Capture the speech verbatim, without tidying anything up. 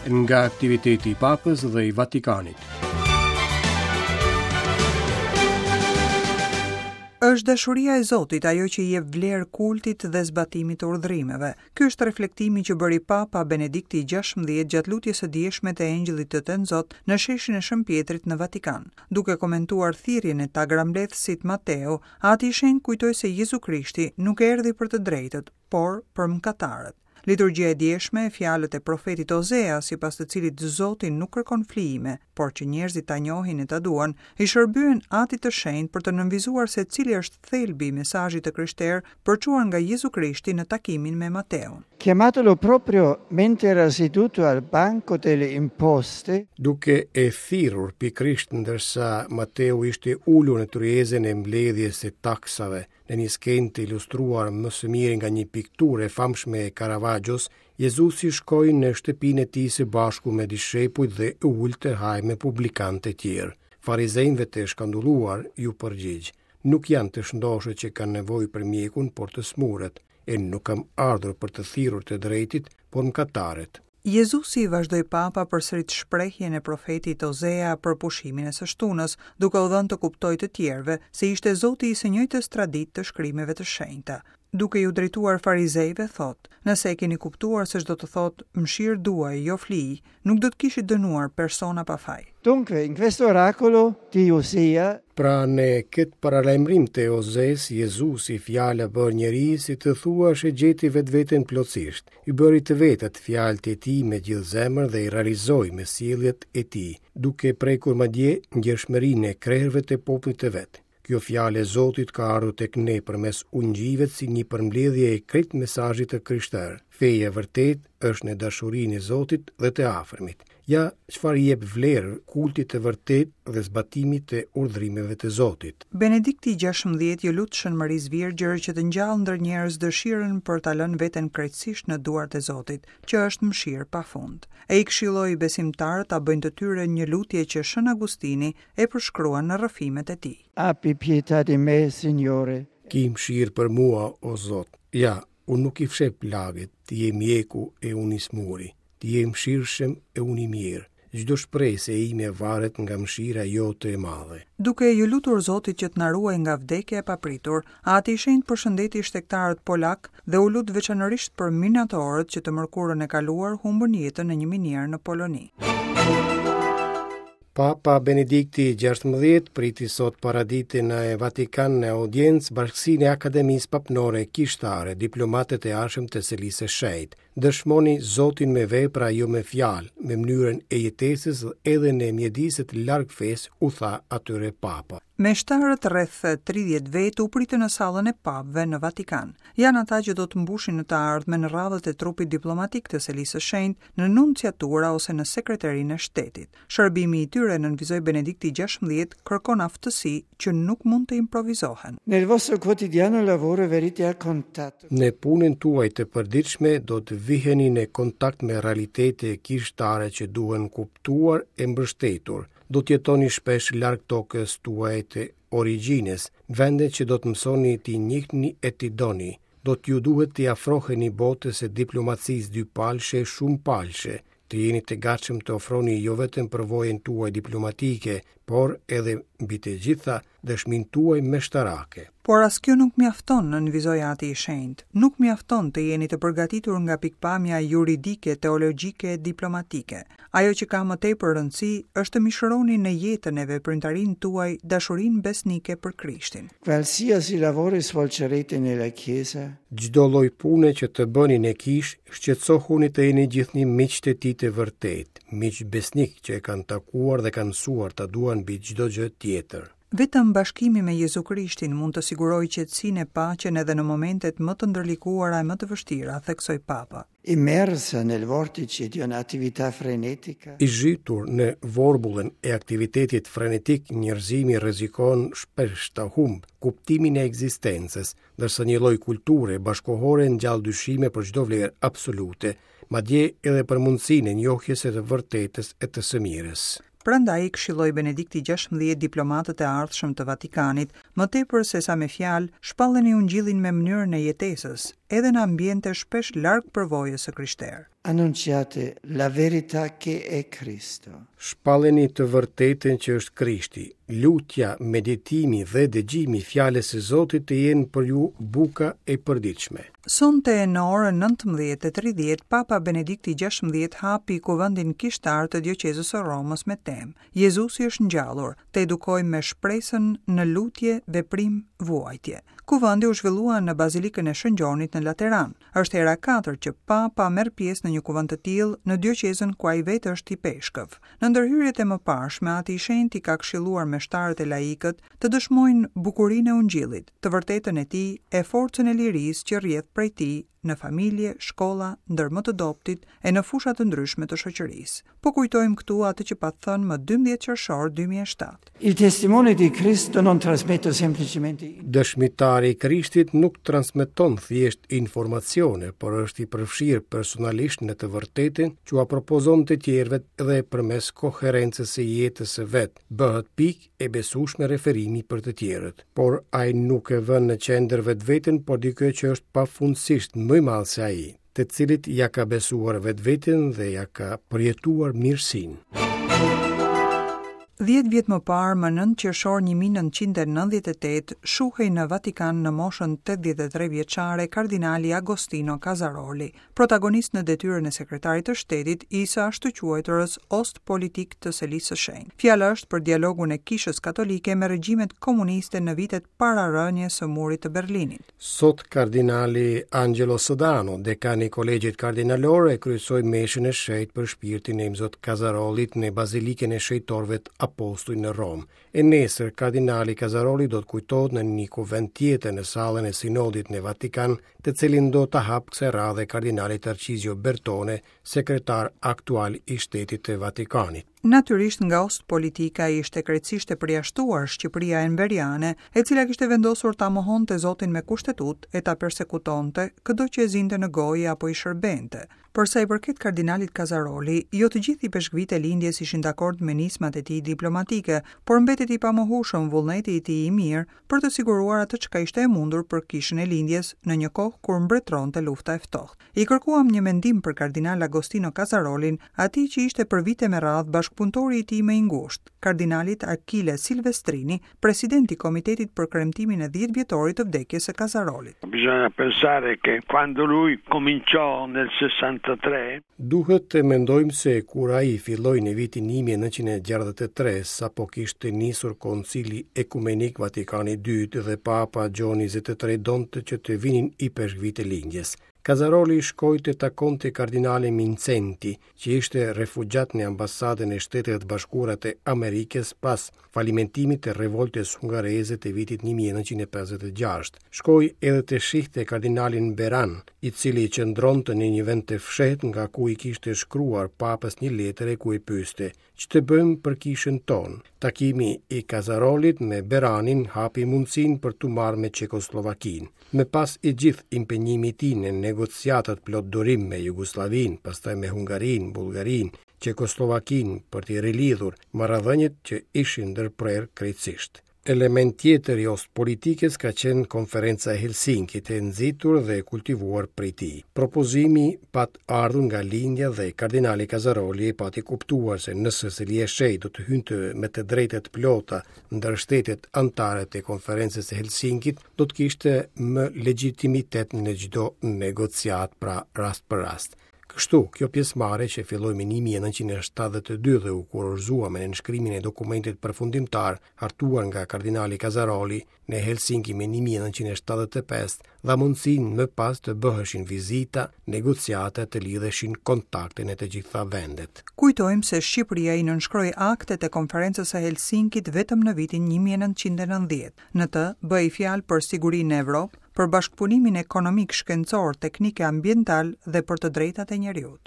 Nga aktiviteti i Papës dhe i Vatikanit. Është dashuria e Zotit ajo që i jep vlerë kultit dhe zbatimit të urdhrimeve. Ky është reflektimi që bëri Papa Benedikti i gjashtëmbëdhjetë gjatë lutjes së djeshme të Engjëllit të Tënzot në sheshin e Shën Pjetrit në Vatikan. Duke komentuar thirrjen e tagrambledhësit Mateu, Ati i Shenjtë kujtoi se Jezu Krishti nuk erdhi për të drejtët, por për mëkatarët. Liturgjia e djeshme, fjalët e profetit Ozea, sipas të cilit Zoti nuk kërkon flijime, por që njerëzit ta njohin e ta duan, i shërbyen Atit të Shenjtë për të nënvizuar se cili është thelbi i mesazhit të krishterë përçuar nga Jezu Krishti në takimin me Mateun. Chiamatolo proprio mentre era seduto al banco delle imposte, duke e thirrur pikërisht ndërsa Mateu ishte ulur në tryezën e mbledhjes së taksave, në një skenë të ilustruar më së miri nga një pikturë e famshme e Caravaggios, Jezusi shkoi në shtëpinë e tij së bashku me dishepujt dhe u ul të hajë me publikanët e tjerë. Farizejve të shkandulluar ju përgjigj: Nuk janë të shëndoshët që kanë nevojë për mjekun, por të smurët, e nuk kam ardhur për të thirrur të drejtit, por mëkatarët. Jezusi, vazhdoi Papa, përsërit shprehjen e profetit Ozea për pushimin e së shtunës, duke u dhënë të kuptojë të tjerëve se ishte Zoti i së njëjtës traditë të shkrimeve të shenjta. Duke ju drejtuar farizejve, thotë: Nëse e keni kuptuar se ç'do të thotë mëshirë duaj, jo flijë, nuk do të kishit dënuar persona pa faj. Dunque, in questo oracolo di Osea, Pra në këtë paralajmërim të Ozes, Jezusi, fjala bërë njeri, si të thuash e gjeti vetveten plotësisht. I bëri të vetat fjalët e tij me gjithë zemër dhe i realizoi me sjelljet e tij, duke prekur madje ndjeshmërinë e krerëve të popullit të vet. Kjo fjalë e Zotit ka ardhur tek ne përmes ungjijve si një përmbledhje e krejt mesazhit të krishterë. Feja e vërtetë është në dashurinë e Zotit dhe të afërmit. Ja çfarë i jep vlerë kultit të vërtetë dhe zbatimit të urdhrimeve të Zotit. Benedikti i gjashtëmbëdhjetë ju lut Shën Marisë Virgjër që të ngjallë ndër njerëz dëshirën për ta lënë veten krejtësisht në duart e Zotit, që është mëshirë pafund. E i këshilloi besimtarët ta bëjnë të tyre një lutje që Shën Agustini e përshkruan në rrëfimet e tij. Abbi pietà di me, Signore. Ki mëshirë për mua, o Zot. Ja, unë nuk i fsheh plagët, ti je mjeku e unë i smuri. Ti je mëshirshëm e unë i mirë. Çdo shpresë e ime varet nga mëshira jote e madhe. Duke ju lutur Zotit që të na ruajë nga vdekja e papritur, Ati i Shenjtë përshëndeti shtegtarët polak dhe u lut veçanërisht për minatorët që të mërkurën e kaluar humbën jetën në një minierë në Poloni. Papa Benedikti i gjashtëmbëdhjetë priti sot paradite në Vatikan në audiencë bashkësinë e Akademisë Papnore Kishtare, diplomatët e ardhshëm të Selisë së Shenjtë. Dëshmoni Zotin me vepra, jo me fjalë, me mënyrën e jetesës dhe edhe në mjediset larg fesë, u tha atyre Papa. Meshtarët rreth tridhjetë vetë u pritën në sallën e papëve në Vatikan. Janë ata që do të mbushin në të ardhmen radhët e trupit diplomatik të Selisë së Shenjtë në nunciatura ose në sekretarinë e shtetit. Shërbimi i tyre, nënvizoi Benedikti i gjashtëmbëdhjetë, kërkon aftësi që nuk mund të improvizohen. Nel vostro quotidiano lavoro verite a contatto. Në punën tuaj të përditshme do të viheni në kontakt me realitete kishtare që duhen kuptuar e mbështetur. Do të jetoni shpesh larg tokës tuaj të origjinës, vende që do të mësoni t'i njihni e t'i doni. Do t'ju duhet t'i afroheni botës së diplomacisë dypalshe e shumëpalshe, të jeni të gatshëm të ofroni jo vetëm përvojën tuaj diplomatike, por edhe mbi të gjitha dëshminë tuaj meshtarake. Por as kjo nuk mjafton, nënvizoi Ati i Shenjtë. Nuk mjafton të jeni të përgatitur nga pikpamja juridike, teologjike e diplomatike. Ajo që ka më tepër rëndësi është të mishëroni në jetën e veprimtarinë tuaj dashurinë besnike për Krishtin. Qualsiasi lavoro svolgerete nella Chiesa, Çdo lloj pune që të bëni në kishë, shqetësohuni të jeni gjithnjë miqtë e tij të vërtetë, miq besnik që e kanë takuar dhe kanë mësuar ta duan mbi çdo gjë tjetër. Vetëm bashkimi me Jezu Krishtin mund të sigurojë qetësinë e paqen edhe në momentet më të ndërlikuara e më të vështira, theksoi Papa. Immersa nel vortice di un'attività frenetica. I zhytur në vorbullën e aktivitetit frenetik, njerëzimi rrezikon shpesh ta humb kuptimin e ekzistencës, ndërsa një lloj kulture bashkohore ngjall dyshime për çdo vlerë absolute, madje edhe për mundësinë e njohjes së të vërtetës e të së mirës. Prandaj i këshilloi Benedikti gjashtëmbëdhjetë diplomatët e ardhshëm të Vatikanit Më tepër se sa me fjalë, shpalleni ungjillin me mënyrën e jetesës, edhe në ambiente shpesh larg përvojës së krishterë. Annunciate la verità che è Cristo. Shpalleni të vërtetën që është Krishti. Lutja, meditimi dhe dëgjimi i fjalës së Zotit të jenë për ju buka e përditshme. Sonte në orën nëntëmbëdhjetë e tridhjetë, Papa Benedikti gjashtëmbëdhjetë hapi kuvendin kishtar të dioqezës së Romës me temë Jezusi është ngjallur, të edukojmë me shpresën në lutje, veprim, vuajtje. Kuvendi u zhvillua në Bazilikën e Shën Gjonit në Lateran. Është hera e katërt që Papa merr pjesë në një kuvend të tillë në dioqezën ku ai vetë është i peshkëv. Në ndërhyrjet e mëparshme, Ati i Shenjtë i ka këshilluar meshtarët e laikët të dëshmojnë bukurinë e ungjillit, të vërtetën e tij e forcën e lirisë që rrjedh prej tij në familje, shkolla, ndër më të dobtit e në fusha të ndryshme të shoqërisë. Po kujtojmë këtu atë që pat thënë më dymbëdhjetë qershor dy mijë e shtatë. Il testimone di Cristo non trasmette semplicemente Dëshmitari i Krishtit nuk transmeton thjesht informacione, por është i përfshirë personalisht në të vërtetën që ua propozon të tjerëve dhe përmes koherencës së jetës së vet, bëhet pikë e besueshme referimi për të tjerët. Por ai nuk e vën në qendër vetveten, por dikë që është pafundësisht më i madh se ai, të cilit ja ka besuar vetveten dhe ja ka përjetuar mirësinë. Dhjetë vjet më parë, më nëntë qershor një mijë nëntëqind e nëntëdhjetë e tetë, shuhej në Vatikan në moshën tetëdhjetë e tre vjeçare kardinali Agostino Casaroli, protagonist në detyrën e sekretarit të shtetit i së ashtuquajturës Ostpolitik të Selisë së Shenjtë. Fjala është për dialogun e Kishës Katolike me regjimet komuniste në vitet para rënies së murit të Berlinit. Sot kardinali Angelo Sodano, dekani i Kolegjit Kardinalor, e kryesoi meshën e shenjtë për shpirtin e Imzot Casarolit në Bazilikën e Shenjtorëve të Apostuj në Romë. E nesër, kardinali Casaroli do të kujtohet në një kuvend tjetër në sallën e sinodit në Vatikan, të cilin do ta hap kësaj radhe kardinali Tarcizio Bertone, sekretar aktual i Shtetit të Vatikanit. Natyrisht nga Ostpolitika ishte krejtësisht e përjashtuar Shqipëria enveriane, e cila kishte vendosur ta mohonte Zotin me kushtetut e ta persekutonte këdo që e zinte në gojë apo i shërbente. Për sa i përket kardinalit Casaroli, jo të gjithë ipeshkvit e lindjes ishin dakord me nismat e tij diplomatike, por mbetet i pamohueshëm vullneti i tij i mirë për të siguruar atë çka ishte e mundur për kishën e lindjes në një kohë kur mbretëronte lufta e ftohtë. I kërkuam një mendim për kardinal Agostino Casarolin, atij që ishte për vite me radhë bashkëpunëtori i tij më i ngushtë, kardinalit Achille Silvestrini, presidenti i Komitetit për kremtimin e dhjetë vjetorit të vdekjes së Casarolit. Bisogna pensare che quando lui cominciò nel sessantatré Duhet të mendojmë se kur ai filloi në vitin një mijë e nëntëqind e gjashtëdhjetë e tre, sapo kishte nisur Koncili Ekumenik Vatikani i dytë dhe Papa Gjoni njëzet e tre donte që të vinin ipeshkvit e lindjes. Casaroli shkoi të takonte kardinalin Mindszenty, që ishte refugjat në ambasadën e Shteteve të Bashkuara të Amerikës pas falimentimit të revoltës hungareze të vitit një mijë e nëntëqind e pesëdhjetë e gjashtë. Shkoi edhe të shihte kardinalin Beran, i cili qëndronte në një vend të fshehtë nga ku i kishte shkruar papës një letër e ku i pyeste: Ç'të bëjmë për kishën tonë? Takimi i Casarolit me Beranin hapi mundësinë për t'u marrë me Çekoslovakinë. Më pas i gjithë impenjimi i tij në negociatat plot durim me Jugosllavinë, pastaj me Hungarinë, Bullgarinë, Çekoslovakinë për t'i rilidhur marrëdhëniet që ishin ndërprerë krejtësisht. Element tjetër i Ostpolitikës ka qenë konferenca e Helsinkit e nxitur dhe e kultivuar prej tij. Propozimi pat ardhur nga lindja dhe kardinali Casaroli e pati kuptuar se nëse Selia e Shenjtë do të hynte me të drejta të plota ndër shtetet anëtare të konferencës së Helsinkit, do të kishte më legjitimitet në çdo negociat, pra rast për rast. Kështu, kjo pjesëmarrje që filloi më një mijë e nëntëqind e shtatëdhjetë e dy dhe u kurorëzua me nënshkrimin e dokumentit përfundimtar hartuar nga kardinali Casaroli në Helsinki më një mijë e nëntëqind e shtatëdhjetë e pesë, dha mundësinë më pas të bëheshin vizita, negociata, të lidheshin kontakte në të gjitha vendet. Kujtojmë se Shqipëria i nënshkroi aktet e konferencës së Helsinkit vetëm në vitin një mijë e nëntëqind e nëntëdhjetë. Në të bëhej fjalë për sigurinë në Evropë, për bashkëpunimin ekonomik, shkencor, teknik e ambiental dhe për të drejtat e njeriut.